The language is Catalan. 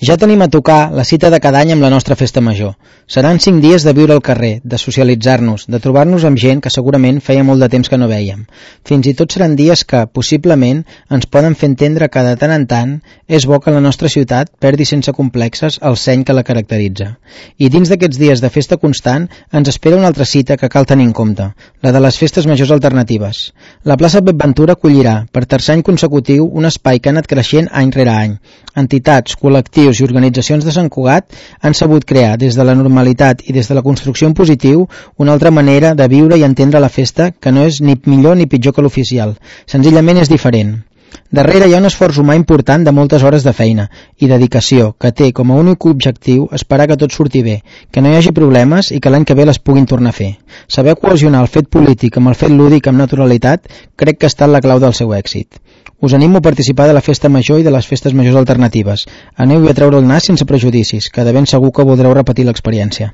Ja tenim a tocar la cita de cada any amb la nostra festa major. Seran 5 dies de viure al carrer, de socialitzar-nos, de trobar-nos amb gent que segurament feia molt de temps que no vèiem. Fins i tot seran dies que, possiblement, ens poden fer entendre que de tant en tant és bo que la nostra ciutat perdi sense complexes el seny que la caracteritza. I dins d'aquests dies de festa constant ens espera una altra cita que cal tenir en compte, la de les festes majors alternatives. La plaça Pep Ventura acollirà, per tercer any consecutiu, un espai que ha anat creixent any rere any. Entitats, col·lectius i organitzacions de Sant Cugat han sabut crear, des de la normalitat i des de la construcció en positiu, una altra manera de viure i entendre la festa que no és ni millor ni pitjor que l'oficial. Senzillament és diferent. Darrere hi ha un esforç humà important de moltes hores de feina i dedicació que té com a únic objectiu esperar que tot surti bé, que no hi hagi problemes i que l'any que ve les puguin tornar a fer. Saber cohesionar el fet polític amb el fet lúdic amb naturalitat crec que ha estat la clau del seu èxit. Us animo a participar de la festa major i de les festes majors alternatives. Aneu-hi a treure el nas sense prejudicis, que de ben segur que voldreu repetir l'experiència.